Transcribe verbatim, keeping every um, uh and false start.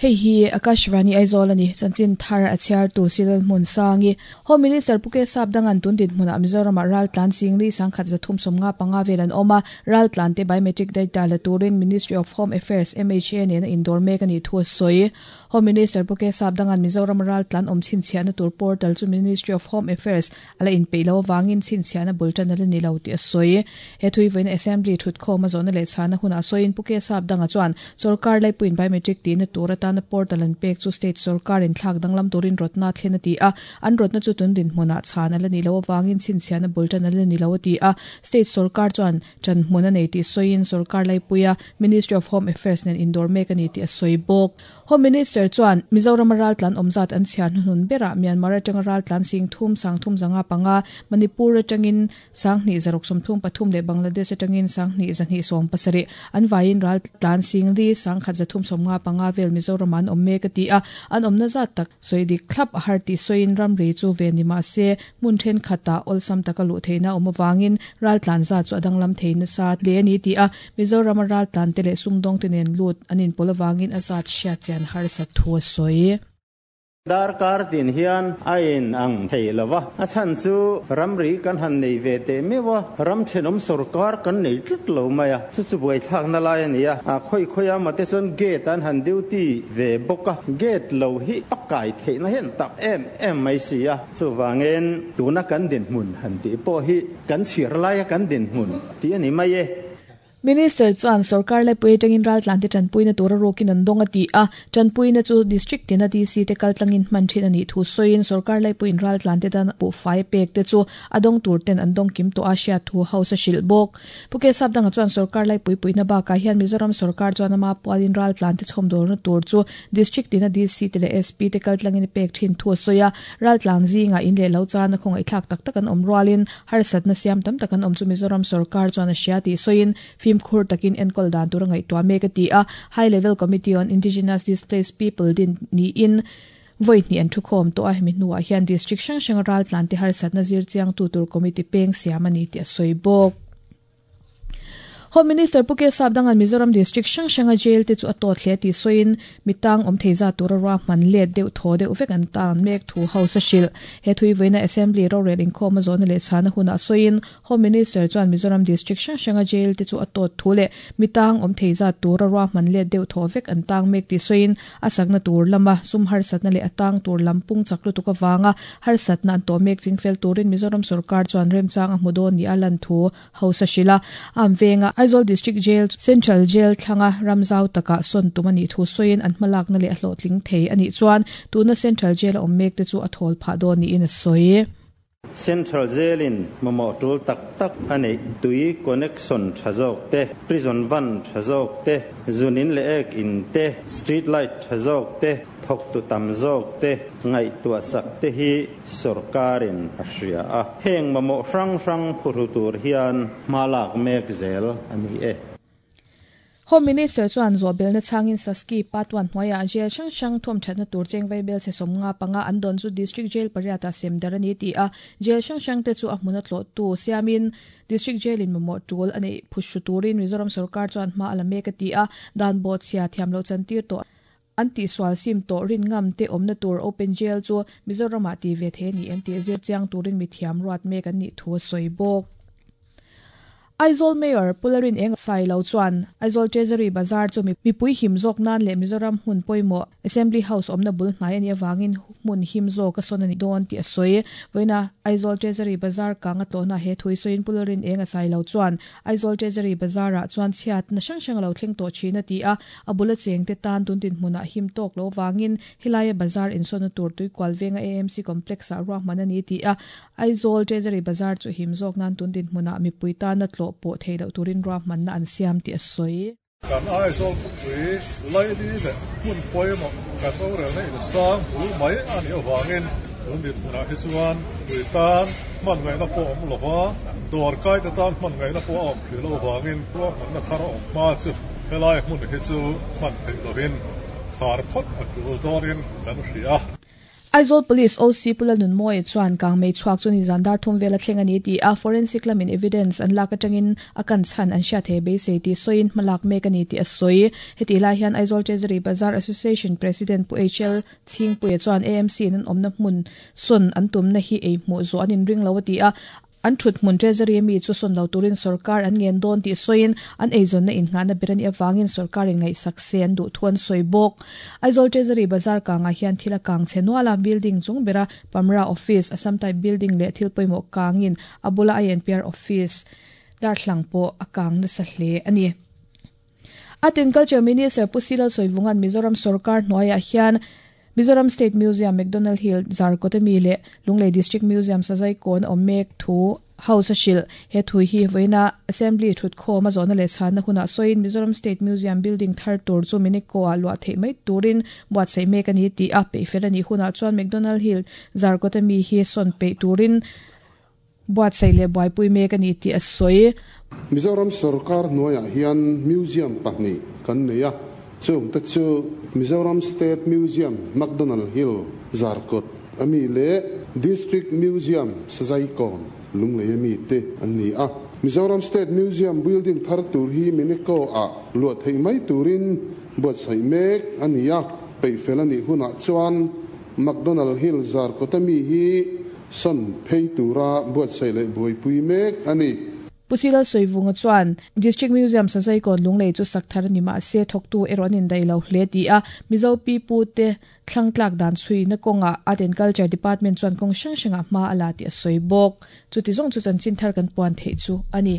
Hei hi Akashvani Aizawl ani chanchin thar a chhiar tu Silal Hmun Sangi Home Minister Puke Sap dangan tun din hmuna Mizoram ral tlan singli sangkhat zathum somnga panga velan oma ral tlan te biometric data la turin Ministry of Home Affairs M H A nen indor mek ani thu soi Home Minister Puke Sap dangan Mizoram ral tlan om chin chiana tur portal chu Ministry of Home Affairs ala in peilo wangin chin chiana bultan ala ni lo ti soi he thui vein assembly thut khoma zona le chana huna soin Puke Sap danga chuan sarkar lai puin biometric tin tur atan portal an pek chu state sarkar in thlak danglam turin rotna thlen ati a an rotna chu tun din hmuna chana la ni lo wangin chin chiana bultan ala ni lo ti a state sarkar chuan chan hmuna nei ti soin sarkar lai puia Ministry of Home Affairs nen indor mek ani ti a soi bok Home Minister chuan Mizoram ral tlan omzat an chian hunun bera Myanmar atanga ral tlan sing thum sang thum zanga panga Manipur atangin sanghni zarok som thum pathum le Bangladesh atangin sanghni zani som pasari an vain ral tlan sing li sangkhat zathum somnga panga vel Mizoram an omme ka ti a an omna zat tak soidi khlap a har ti soin ramri chu ve ni ma se mun then khata olsam takalu theina omawangin ral tlan za chu adanglam theina sa le ni ti a Mizoram ral tlan te le sumdong tenen lut anin polawangin azat sha chen har sa thu soi Dar kar tin hian ain ang thei lawa a chan chu ramri kan han nei ve te mewa ram thenom sarkar kan nei tlut lo maya chu chu boi thak na lai ania a khoi khoya ma te chon gate an han duty ve boka gate lo hi pakai thei na hen tak em em mai si a chu wangen tuna kan din hmun han ti po hi kan chir lai kan din hmun ti ani mai e Minister chuan sarkar lai pui tangin ral tlan te tanpuina tura rokin an donga ti a tanpuina chu district tina D C te kaltlangin man thin ani thu soin sarkar lai puin ral tlan te dan pu fai pek te chu adong tur ten an dong kim to Asia thu house shil bok Puke Sap danga chuan sarkar lai pui puina ba ka hian Mizoram sarkar chuan ama pualin ral tlan te chhom dor na tur chu district tina D C te le S P te kaltlangin pek thin thu soya ral tlan zinga in le lo chan khong ai thlak tak tak an om rualin har sat na siam tam tak an om chu Mizoram sarkar chuan Asia ti soin khur takin enkol dan tur ngai tua me ka ti a High Level Committee on Indigenous Displaced People din ni in voi ni an thukhom to a hemi nuwa hian district sang sang ral tlan te har satna zir chiang tu tur committee peng siamani ti a soibok Home Minister Puke Sap dangan Mizoram district sang sanga jail te chu atot hle ti soin mitang om theiza tur ra man let deuh tho deuh vek an tan mek thu house shil he thui veina assembly ro reling khoma zone le chana huna soin Home Minister chuan Mizoram district sang sanga jail te chu atot thu le mitang om theiza tur ra man let deuh tho vek an tang mek ti soin asakna tur lama sum har satna le atang tur lampung chaklu tuka wanga har satna an to mek chingfel turin Mizoram sarkar chuan remchang a hmudon ni alan thu house shila am venga Aizawl District Jail Central Jail thlanga ramzau taka son tumani thu soin an hmalak na le hlo tling thei ani chuan tuna Central Jail om mek te chu a thol pha do ni in a soi Central Jail in mamo tul tak tak ani tui connection thazok te prison van thazok te zunin le ek in te street light thazok te thok tu tam zok te ngai tua sak te hi sarkarin a a heng mamo rang rang phuru tur hian malak mek zel ani e Home Minister chuan zobel na changin Saski patwan hmoya jail sang sang thom thatna tur chengwei bel se somnga panga an don chu district jail pariata semdar ani ti a jail sang sang te chu a hmuna tlo tu siamin district jail in mamo tul ani phushu turin Mizoram sarkar chuan hma alame ka ti a dan bot sia thiamlo chantir to anti swal sim to rin ngam te omna tur open jail chu Mizoram a ti ve the ni M T zir chiang turin mi thiam ruat mek an ni thu soibok Aizawl Mayor Pularin Eng Sai Lo chuan Aizawl Treasury Bazaar chu mi pui him zawk nan le Mizoram hun pawimawh Assembly House awmna bul hnai ani awangin hmun him zawk a sawn ani dawn tih a sawi vawiina Aizawl Treasury Bazaar kang a tlawhna he thui sawiin Pularin Eng a Sai Lo chuan Aizawl Treasury Bazaar ah chuan chhiat na hrang hrang a lo thleng tawh thin a ti a a bula cheng te tan tun tin hmunah him tawk lo wangin helai bazaar insawn tur tui kual venga A M C complex ah ruahman ani ti a Aizawl Treasury Bazaar chu him zawk nan tun tin hmunah mipui tan a tlawh po theilo turin ruahman na an siam ti a sawi kan Aizawl pui lai ni le hun pawimawh kan rorel na in sang bul mai ani awangin tun din hmunah hi chuan tui tan hman ngaihna pawh awm lova dawr kai te tan hman ngaihna pawh a awm thei lo awangin ruahman na thar a awm hma chu helai hmun hi chu hman theih lovin khar phawt a tul dawnin kan hria. Aizawl Police O C Pula Nunmawia chuan kangmei chhuak chu ni zandar thum vela thleng ani ti a forensic lamin evidence an lak atangin a kan chhan an hriat thei beisei ti sawiin hmalak mek ani ti a sawi. Heti lai hian Aizawl Treasury Bazar Association President Pu H L Chhingpuia chuan A M C in an awmna hmun sawn an tumna hi ei hmuh zawh an inring lo a ti a. An thut hmun Treasury mi chu sawn lo turin sarkar an ngen dawn ti sawiin an eizawn na inngahna berani awangin sarkar in ngaihsak se an duh thu an sawi bawk. Aizawl Treasury Bazar kangah hian thil a kang che nuala building chung bera Pamra Office, Assam Type Building leh thil pawimawh kangin a bula I N P R Office darthlang pawh a kang nasa hle ani. Art and Culture Minister Pu Silal Sawivungan Mizoram Sarkar hnuaiah hian Mizoram State Museum McDonald Hill Zarkawt le Lunglei District Museum Sazai Kawn awm mek thu House a hrilh. He thui hi vawiina Assembly thut khawm a zawhna leh chhanna hunah sawiin Mizoram State Museum building thar tur chu Miniko ah luah theih mai turin buatsaih mek ani ti a peihfel ani hunah chuan McDonald Hill Zarkawt mi hi sawn peih turin buatsaih leh buaipui mek ani ti a sawi. Mizoram Sarkar hnuaiah hian museum pahnih kan nei a. Chung te chu Mizoram State Museum McDonald Hill Zarkawt ami le District Museum Sazai Kawn Lunglei ami te an ni a. Mizoram State Museum building thar tur hi Miniko a luah theih mai turin buatsaih mek ani a. Peihfel ani hunah chuan McDonald Hill Zarkawt ami hi sawn phei tura buatsaih leh buaipui mek ani. Pu Silal Sawivunga chuan District Museum Sazai Kawn Lunglei chu sak thar ani ma se thawktu erawh an indai lo hle ti a. Mizo pi pu te thlangtlak dan chhui na kawnga Art and Culture Department chuan kawng hrang hrangah hma a la ti a sawi bawk. Chuti zawng chu chanchin thar kan puan theih chu ani.